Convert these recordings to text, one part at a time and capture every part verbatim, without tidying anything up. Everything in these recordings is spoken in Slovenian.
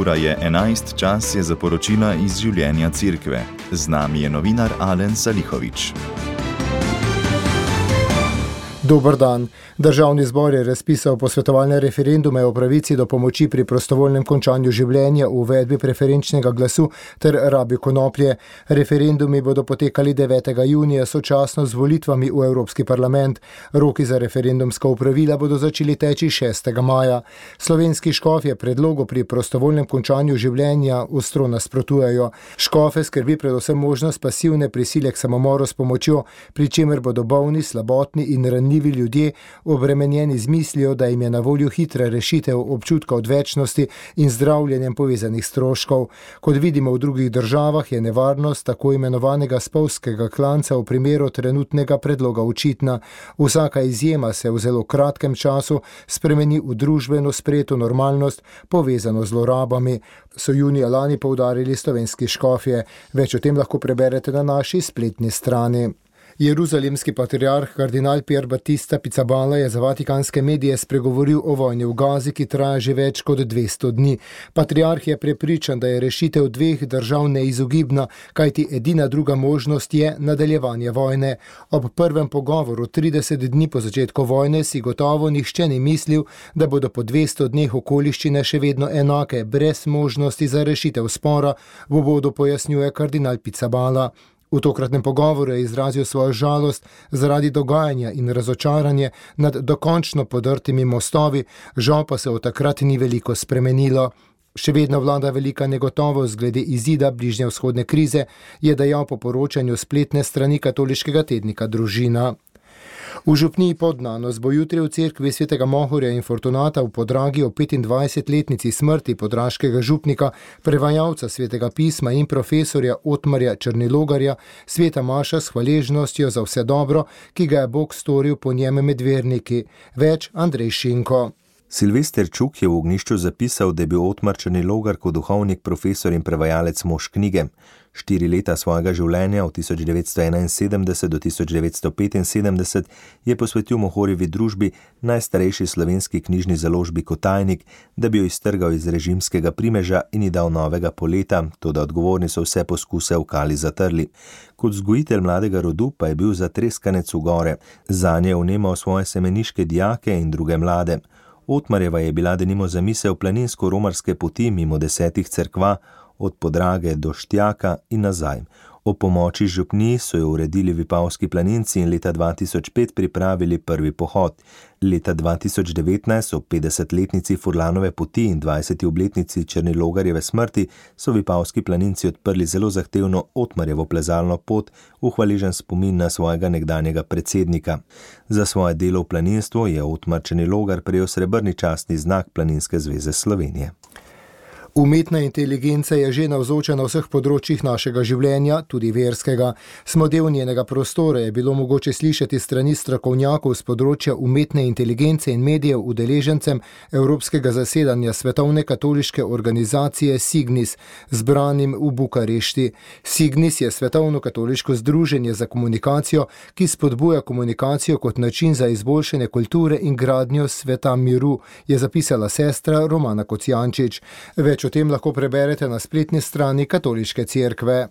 Ura je enajst, čas je za poročila iz življenja Cerkve. Z nami je novinar Alen Salihović. Dober dan. Državni zbor je razpisal posvetovalne referendume o pravici do pomoči pri prostovoljnem končanju življenja, uvedbi preferenčnega glasu ter rabi konoplje. Referendumi bodo potekali devetega junija sočasno z volitvami v Evropski parlament. Roki za referendumska opravila bodo začeli teči šestega maja. Slovenski škofje predlogu pri prostovoljnem končanju življenja ostro nasprotujejo. Škofe skrbi predvsem možnost pasivne prisile k samomoru s pomočjo, pri čemer bodo bolni, slabotni in ranljivi ljudje obremenjeni z mislijo, da jim je na voljo hitra rešitev občutka odvečnosti in zdravljenjem povezanih stroškov. Kot vidimo v drugih državah, je nevarnost tako imenovanega spolskega klanca v primeru trenutnega predloga očitna. Vsaka izjema se v zelo kratkem času spremeni v družbeno sprejeto normalnost, povezano z zlorabami, so junija lani poudarili slovenski škofje. Več o tem lahko preberete na naši spletni strani. Jeruzalemski patriarh kardinal Pier Battista Pizzaballa je za vatikanske medije spregovoril o vojni v Gazi, ki traja že več kot dvesto dni. Patriarh je prepričan, da je rešitev dveh držav neizogibna, kajti edina druga možnost je nadaljevanje vojne. Ob prvem pogovoru trideset dni po začetku vojne si gotovo nihče ni mislil, da bodo po dvesto dneh okoliščine še vedno enake, brez možnosti za rešitev spora, v uvodu pojasnjuje kardinal Pizzaballa. V tokratnem pogovoru je izrazil svojo žalost zaradi dogajanja in razočaranje nad dokončno podrtimi mostovi, žal pa se od takrat ni veliko spremenilo. Še vedno vlada velika negotovost glede izida bližnjevzhodne krize, je dejal po poročanju spletne strani katoliškega tednika Družina. V župniji Podnanos bo jutri v cerkvi svetega Mohorja in Fortunata v Podragi o petindvajsetletnici smrti podraškega župnika, prevajalca svetega pisma in profesorja Otmarja Črnilogarja, sveta maša s hvaležnostjo za vse dobro, ki ga je Bog storil po njem med verniki. Več Andrej Šinko. Silvester Čuk je v ognjišču zapisal, da je bil Otmar Črnilogar kot duhovnik, profesor in prevajalec mož knjige. Štiri leta svojega življenja od tisoč devetsto enainsedemdeset do tisoč devetsto petinsedemdeset je posvetil Mohorjevi družbi, najstarejši slovenski knjižni založbi Kotajnik, da bi jo iztrgal iz režimskega primeža in ji dal novega poleta, toda odgovorni so vse poskuse v kali zatrli. Kot vzgojitelj mladega rodu pa je bil zatreskanec v gore. Zanje je vnemal svoje semeniške dijake in druge mlade. Otmarjeva je bila denimo zamisel planinsko-romarske poti mimo desetih cerkva, od Podrage do Štjaka in nazaj. O pomoči župniji so jo uredili vipavski planinci in leta dva tisoč pet pripravili prvi pohod. Leta dva tisoč devetnajst, ob petdesetletnici Furlanove poti in dvajseti obletnici Črnilogarjeve smrti, so vipavski planinci odprli zelo zahtevno Otmarjevo plezalno pot v hvaležen spomin na svojega nekdanjega predsednika. Za svoje delo v planinstvu je Otmar Črnilogar prejel srebrni častni znak Planinske zveze Slovenije. Umetna inteligenca je že navzoča na vseh področjih našega življenja, tudi verskega. Smo del njenega prostora, je bilo mogoče slišati strani strokovnjakov z področja umetne inteligence in medijev udeležencem Evropskega zasedanja Svetovne katoliške organizacije Signis, zbranim v Bukarešti. Signis je svetovno katoliško združenje za komunikacijo, ki spodbuja komunikacijo kot način za izboljšanje kulture in gradnjo sveta miru, je zapisala sestra Romana Kocijančič. Več o tem lahko preberete na spletni strani Katoliške cerkve.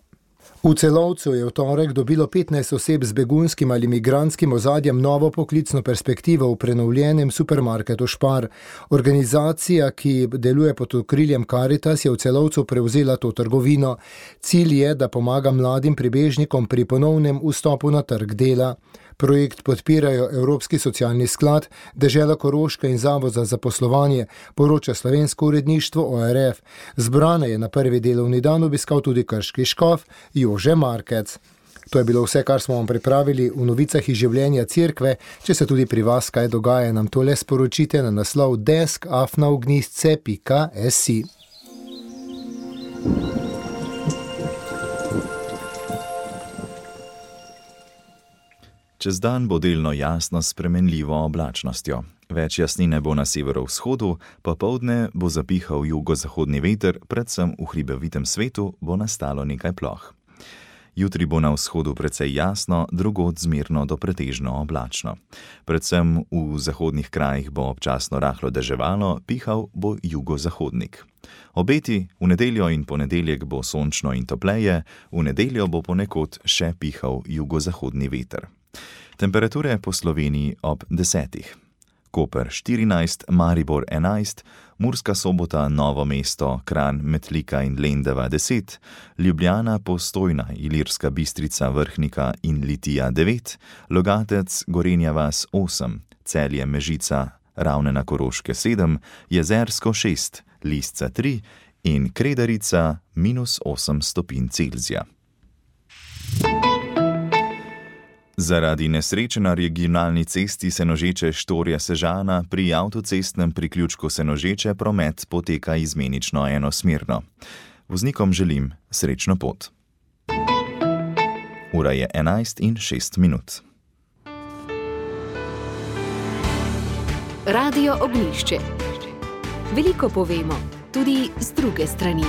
V Celovcu je v torek dobilo petnajst oseb z begunskim ali migrantskim ozadjem novo poklicno perspektivo v prenovljenem supermarketu Špar. Organizacija, ki deluje pod okriljem Karitas, je v Celovcu prevzela to trgovino. Cilj je, da pomaga mladim pribežnikom pri ponovnem vstopu na trg dela. Projekt podpirajo Evropski socialni sklad, Dežela Koroška in Zavod za zaposlovanje, poroča slovensko uredništvo O R F. Zbrane je na prvi delovni dan obiskal tudi krški škof Jože Markec. To je bilo vse, kar smo vam pripravili v novicah iz življenja cerkve. Če se tudi pri vas kaj dogaja, nam to le sporočite na naslov desk afna ognjišče pika si. Čez dan bo delno jasno s spremenljivo oblačnostjo. Več jasnine bo na severovzhodu, popoldne bo zapihal jugozahodni veter, predvsem v hribovitem svetu bo nastalo nekaj ploh. Jutri bo na vzhodu precej jasno, drugod zmerno do pretežno oblačno. Predvsem v zahodnih krajih bo občasno rahlo deževalo, pihal bo jugozahodnik. Obeti: v nedeljo in ponedeljek bo sončno in topleje, v nedeljo bo ponekod še pihal jugozahodni veter. Temperature po Sloveniji ob desetih. Koper štirinajst, Maribor enajst, Murska Sobota, Novo mesto, Kranj, Metlika in Lendava deset, Ljubljana, Postojna, Ilirska Bistrica, Vrhnika in Litija devet, Logatec, Gorenja vas osem, Celje, Mežica, Ravne na Koroške sedem, Jezersko šest, Lisca tri in Kredarica minus osem stopinj Celzija. Zaradi nesreče na regionalni cesti Senožeče Štorja-Sežana pri avtocestnem priključku Senožeče promet poteka izmenično enosmerno. Voznikom želim srečno pot. Ura je enajst in šest minut. Radio Ognjišče. Veliko povemo, tudi z druge strani.